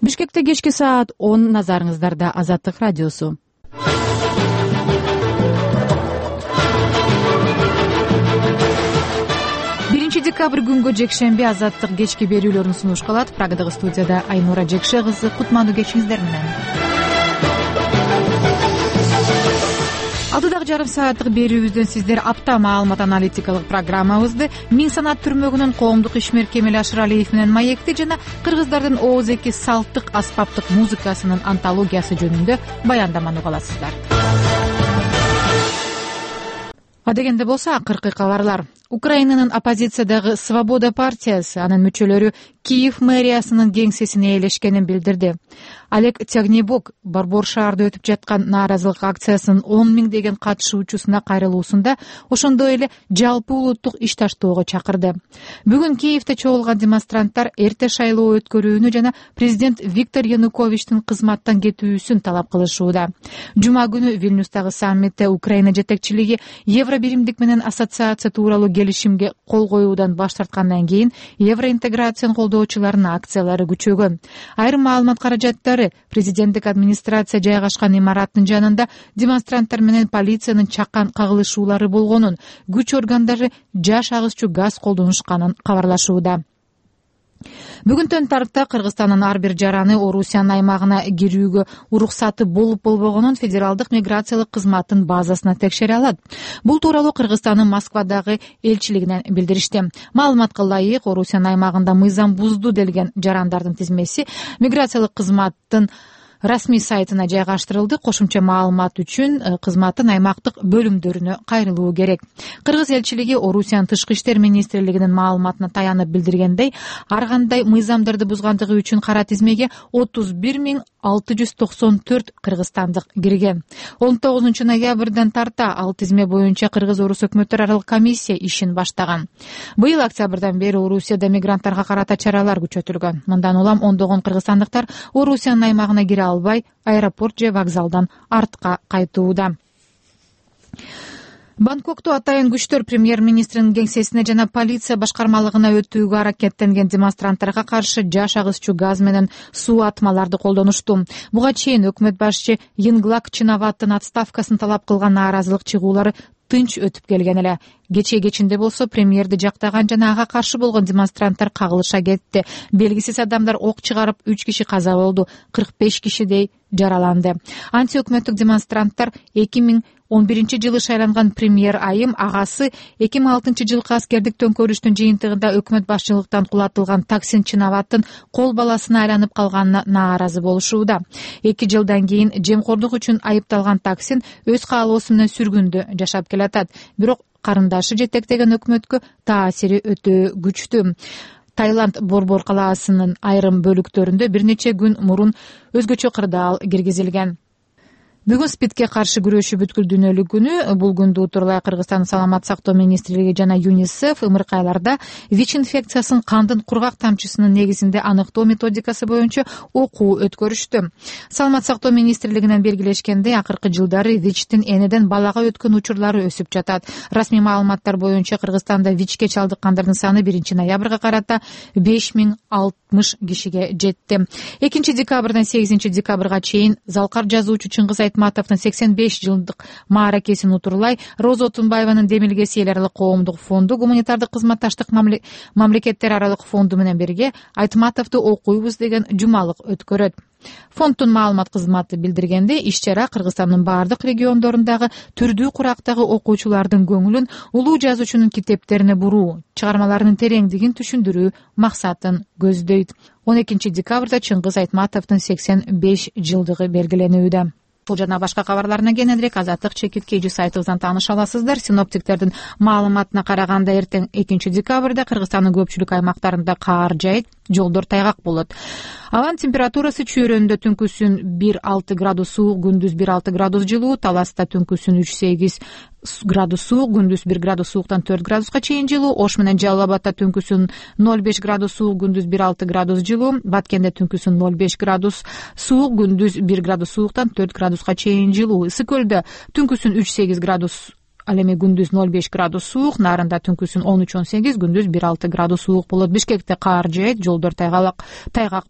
Бишкекте кечки саат 10, назарыңыздарда Азаттык радиосу. 1 декабрь күнгө жекшемби Азаттык кечки берүүлөрүн сунуш кылат. Прагадагы студияда Айнура Жекше кызы. Кутмандуу кечиңиздер менен. Алдыдагы жарым сааттык берүүбүздөн сиздер апта маалымат аналитикалык программабызды, Миң санат түрмөгүнүн коомдук ишмер Кемел Ашыралиев менен маекти жана кыргыздардын ооз-эки салттык аспаптык музыкасынын антологиясы жөнүндө баяндаманы уга аласыздар. Адегенде болсо акыркы кабарлар. Украинанын оппозициядагы Свобода партиясы анын мүчөлөрү Киев мэриясынын кеңсесине ээлешкенин билдирди. Олег Тягнебок Борбор шаарда өтүп жаткан нааразылык акциясынын 10 миңдеген катышуучусуна кайрылуусунда ошондой эле жалпы улуттук иш таштоого чакырды. Бүгүн Киевде чогулган демонстранттар эрте шайлоо өткөрүүнү жана президент Виктор Януковичтин кызматтан кетүүсүн талап кылышууда. Жума күнү Вильнюстагы саммитте Украина жетекчилиги Евробиримдик менен ассоциация тууралуу келишимге кол коюудан баш тарткандан кийин евроинтеграцияны колдоочулардын акциялары күчөгөн. Айрым маалымат каражаттары президенттик администрация жайгашкан имараттын жанында демонстранттар менен полициянын чакан кагылышуулары болгонун, күч органдары жаш агызчу газ колдонушканын кабарлашууда. Бүгүндөн тарта Кыргызстандын ар бир жараны Орусиянын аймагына кирүүгө уруксаты болуп болбогонун федералдык миграциялык кызматтын базасына текшере алат. Бул тууралуу Кыргызстандын Москвадагы элчилигинен билдиришти. Маалыматка ылайык, Орусиянын аймагында мыйзам бузду делген жарандардын тизмеси миграциялык кызматтын расмий сайтына жайгаштырылды. Кошумча маалымат үчүн кызматтын аймактык бөлүмдөрүнө кайрылуу керек. Кыргыз элчилиги Орусиянын тышкы иштер министрлигинин маалыматына таянып билдиргендей, ар кандай мыйзамдарды бузгандыгы үчүн кара тизмеге 31.694 кыргызстандык кирген. 19 ноябрдан тарта ал тизме боюнча Кыргыз-Орус өкмөттөр аралык комиссия ишин баштаган. Быйыл октябрдан бери Орусияда мигранттарга карата чаралар күчөтүлгөн. Мындан улам ондогон кыргызстандыктар Орусиянын аймагына кире албай, аэропорт же вокзалдан артка кайтууда. Бангкокту атайын күчтөр премьер-министринин кеңсесине жана полиция башкармалыгына өтүүгө аракеттенген демонстранттарга каршы жаш агызчу газ менен суу атмаларды колдонушту. Буга чейин өкмөт башчы Йинглак Чинаваттын отставкасын талап кылган нааразылык чыгуулары тынч өтүп келген эле. Кечинде болсо премьерди жактаган жана ага каршы болгон демонстранттар кагылыша кетти. Белгисиз адамдар ок чыгарып 3 киши каза болду, 45 кишидей жараланды. Антиөкмөттүк демонстранттар 2011-жылы шайланган премьер айым агасы 2006-жылкы аскердик төңкөрүштүн жыйынтыгында өкмөт башчылыктан кулатылган Таксин Чинаваттын кол баласына айланып калганына нааразы болушууда. 2 жылдан кийин жемкордук үчүн айыпталган Таксин өз каалоосу менен сүргүндө жашап келатат. Бирок карындашы жетектеген өкмөткө таасири өтө күчтүү. Таиланд Борбор калаасынын айрым бөлүктөрүндө бир нече күн мурун өзгөчө кырдаал киргизилген. Бүгүн СПИДке каршы күрөшүү бүткүл дүйнөлүк күнү. Бул күндү утурлай Кыргызстандын саламат сактоо министрлиги жана ЮНИСЕФ ымыркайларда ВИЧ инфекциясын кандын кургак тамчысынын негизинде аныктоо методикасы боюнча окуу өткөрүштү. Саламат сактоо министрлигинен белгилешкендей, акыркы жылдары ВИЧтин энеден балага өткөн учурлары өсүп жатат. Расмий маалыматтар боюнча Кыргызстанда ВИЧке чалдыккандардын саны 1 ноябрга карата 5060 кишиге жетти. 2 декабрдан 8 декабрга чейин залкар жазуучу Чыңгыз Айтматовдун 85 жылдык мааракесин утурлай Роза Отунбаеванын Демилгеси эл аралык коомдук фонду, гуманитардык кызматташтык мамлекеттер аралык фонду менен бирге Айтматовду окуйбуз деген жумалык өткөрөт. Фонддун маалымат кызматы билдиргендей, иш-чара Кыргызстандын бардык региондорундагы түрдүү курактагы окуучулардын көңүлүн улуу жазуучунун китептерине буруу, чыгармаларынын тереңдигин түшүндүрүү максатын көздөйт. 12 декабрда Чыңгыз Айтматовдун 85 жылдыгы белгиленүүдө. Бул жана башка кабарларына кененирээк Азаттык чекит сайтыбыздан тааныша аласыздар. Синоптиктердин маалыматына караганда эртең 2 декабрда Кыргызстандын көпчүлүк аймактарында каар жайыт, жолдор тайгак болот. Абанын температурасы чүйрөндө түнкүсүн 1-6 градус суук, күндүз 1-6 градус жылуу, Таласта түнкүсүн 3-8 градус суук, күндүз 1 градус сууктан 4 градуска чейин жылуу, Ош менен Жалал Абадта түнкүсүн 0,5 градус суук, күндүз 1-6 градус жылуу, Баткенде түнкүсүн 0,5 градус суук, күндүз 1 градус сууктан 4 градуска чейин жылуу, Ысык Көлдө түнкүсүн 3-8 градус ал эми күндүз 0,5 градус суук, Нарында түнкүсүн 13-18, күндүз 1,6 градус суук болот. Бишкекте каар жаайт, жолдор тайгак